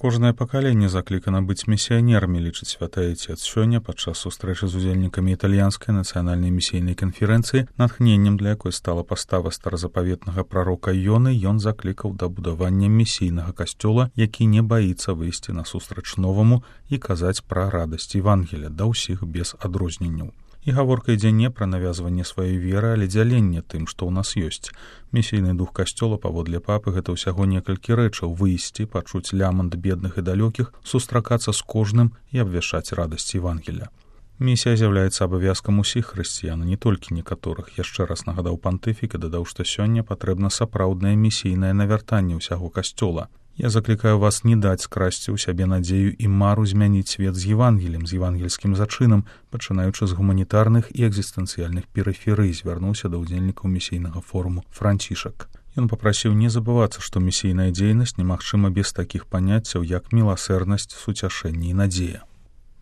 Кожнае пакаленне заклікана быць місіянерамі, лічыць святы Отец. Сёння падчас сустрэчы з удзельнікамі італьянскай нацыянальнай місійнай канферэнцыі, натхненнем для якой стала пастава старазапаветнага прарока Ёны, ён заклікаў да будавання місійнага касцёла, які не баіцца выйсці насустрач новаму і казаць пра радасць Евангелія да ўсіх без адрозненняў. І гаворка ідзе не пра навязванне сваёй веры, але дзяленне тым, што ў нас ёсць. Місійны дух касцёла, паводле папы, гэта ўсяго некалькі рэчаў: выйсці, пачуць лямант бедных і далёкіх, сустракацца з кожным і абвяшчаць радасць Евангелія. Місія з'яўляецца абавязкам усіх хрысціян, не толькі некаторых. Яшчэ раз нагадаў пантыфік і дадаў, што сёння патрэбна сапраўднае місійнае навяртанне ўсяго касцёла. Я заклікаю вас не даць скрасці ў сябе надзею і мару змяніць свет з Евангеліем, з евангельскім зачынам, пачынаючы з гуманітарных і экзістэнцыяльных перыферый, звярнуўся да ўдзельнікаў місійнага форуму Францішак. Ён папрасіў не забывацца, што місійная дзейнасць немагчыма без такіх паняццяў, як міласэрнасць, суцяшэнне і надзея.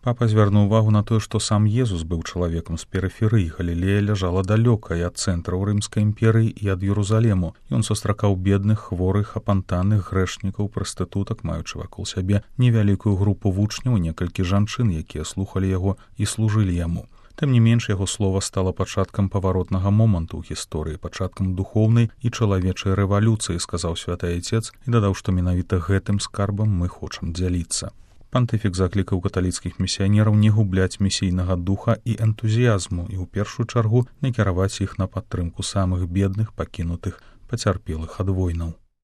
Папа звярнуў увагу на тое, што сам Езус быў чалавекам з перыферый. Галілея ляжала далёка і ад цэнтраў Рымскай імперыі і ад Ерусалему. Ён сустракаў бедных, хворых, апантаных, грэшнікаў, прастытутак, маючы вакол сябе невялікую групу вучняў, некалькі жанчын, якія слухалі яго і служылі яму. Тым не менш, яго слова стала пачаткам паваротнага моманту ў гісторыі, пачаткам духоўнай і чалавечай рэвалюцыі, сказаў святы Отец і дадаў, што менавіта гэтым скарбам мы хочам дзяліцца. Пантыфік заклікаў каталіцкіх місіянераў не губляць місійнага духа і энтузіязму і ў першую чаргу накіраваць іх на падтрымку самых бедных, пакінутых, пацярпелых ад войнаў.